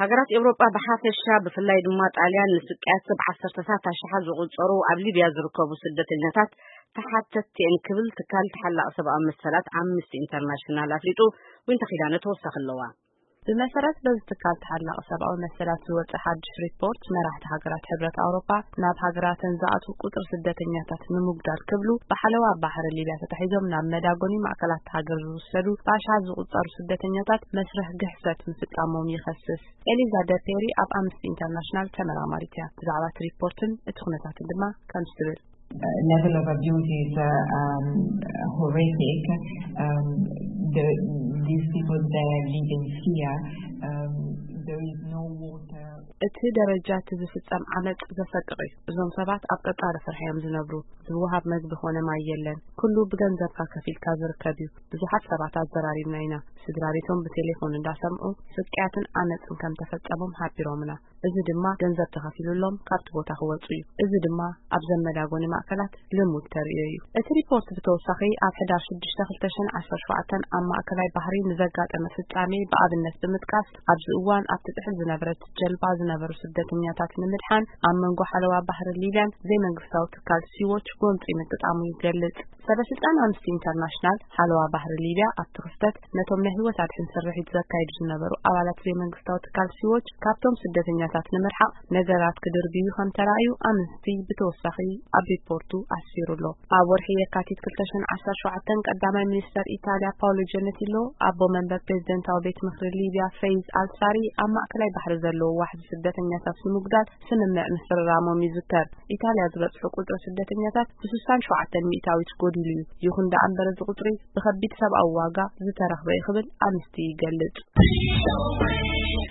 ሃገራት ኤውሮጳ ብሓፈሻ፣ ብፍላይ ድማ ጣልያን፣ ንስቅያት ሰብ ዓሰርተታት ኣሽሓት ዝቑጸሩ ኣብ ሊብያ ዝርከቡ ስደተኛታት ተሓተትቲ እየን ክብል ትካል ተሓላቒ ሰብኣዊ መሰላት ኣምነስቲ ኢንተርናሽናል ኣፍሊጡ። ዊንታ ኪዳነ ተወሳኺ ኣለዋ። ብመሰረት በዚ ትካል ተሓላቒ ሰብኣዊ መሰላት ዝወጸ ሓድሽ ሪፖርት፣ መራሕቲ ሃገራት ሕብረት ኣውሮፓ ናብ ሃገራተን ዝኣትዉ ቁጽሪ ስደተኛታት ንምጉዳል ክብሉ ብሓለዋ ባሕሪ ሊብያ ተታሒዞም ናብ መዳጎኒ ማእከላት ሃገር ዝውሰዱ ብኣሽሓት ዝቑጸሩ ስደተኛታት መስርሕ ግሕሰት ምፍጻሞም ይኸስስ። ኤሊዛ ደፔሪ ኣብ ኣምነስቲ ኢንተርናሽናል ተመራማሪት እያ። ብዛዕባ እቲ ሪፖርትን እቲ ኩነታትን ድማ ከምዚ ትብል። Level of abuse is uh, um, horrific. Um, the, these people, they live in fear. Um, there is no water. እቲ ደረጃ እቲ ዝፍጸም ዓመጽ ዘሰቅቕ እዩ። እዞም ሰባት ኣብ ቀጻሊ ፍርሒ እዮም ዝነብሩ። ዝወሃብ መግቢ ኾነ ማይ የለን። ኩሉ ብገንዘብካ ከፊልካ ዝርከብ እዩ። ብዙሓት ሰባት ኣዘራሪብና ኢና። ስድራ ቤቶም ብቴሌፎን እንዳሰምዑ ስቅያትን ዓመጽን ከም ተፈጸሞም ሓቢሮምና። እዚ ድማ ገንዘብ ተኸፊሉሎም ካብቲ ቦታ ክወጹ እዩ። እዚ ድማ ኣብ ዘመዳጎኒ ማእከላት ልሙድ ተርእዮ እዩ። እቲ ሪፖርት ብተወሳኺ ኣብ ሕዳር ሽዱሽተ ክልተ ሽሕን ዓሰርተ ሸውዓተን ኣብ ማእከላይ ባሕሪ ንዘጋጠመ ፍጻሜ ብኣብነት ብምጥቃስ፣ ኣብዚ እዋን ኣብቲ ጥሕል ዝነበረት ጀልባ ዝነበሩ ስደተኛታት ንምድሓን ኣብ መንጎ ሓለዋ ባሕሪ ሊብያን ዘይመንግስታዊ ትካል ሲዎች ጎንጺ ምግጣሙ ይገልጽ። ሰበ ስልጣን ኣምነስቲ ኢንተርናሽናል ሓለዋ ባሕሪ ሊብያ ኣብቲ ክስተት ነቶም ናይ ህይወት ኣድሕን ስርሒት ዘካይዱ ዝነበሩ ኣባላት ዘይመንግስታዊ ትካል ሲዎች ካብቶም ስደተኛታት ንምርሓቕ ነገራት ክድርብዩ ከም ተራእዩ ኣምነስቲ ብተወሳኺ ኣብ ሪፖርቱ ኣስፊሩ ኣሎ። ኣብ ወርሒ የካቲት ክልተ ሽሕን ዓሰርተ ሸውዓተን ቀዳማይ ሚኒስተር ኢታልያ ፓውሎ ጀነቲሎ ኣቦ መንበር ፕሬዝደንታዊ ቤት ምኽሪ ሊብያ ፈይዝ ኣልሳሪ ኣብ ማእከላይ ባሕሪ ዘለዎ ዋሕዚ ስደተኛታት ንምጉዳል ስምምዕ ምፍርራሞም ይዝከር። ኢታልያ ዝበጽሑ ቁጽሪ ስደተኛታት ብ67 ሚእታዊት ጎዲሉ እዩ። ይኹን ደኣ እምበር፣ እዚ ቁጽሪ ብኸቢድ ሰብኣዊ ዋጋ ዝተረኽበ እዩ ክብል ኣምነስቲ ይገልጽ።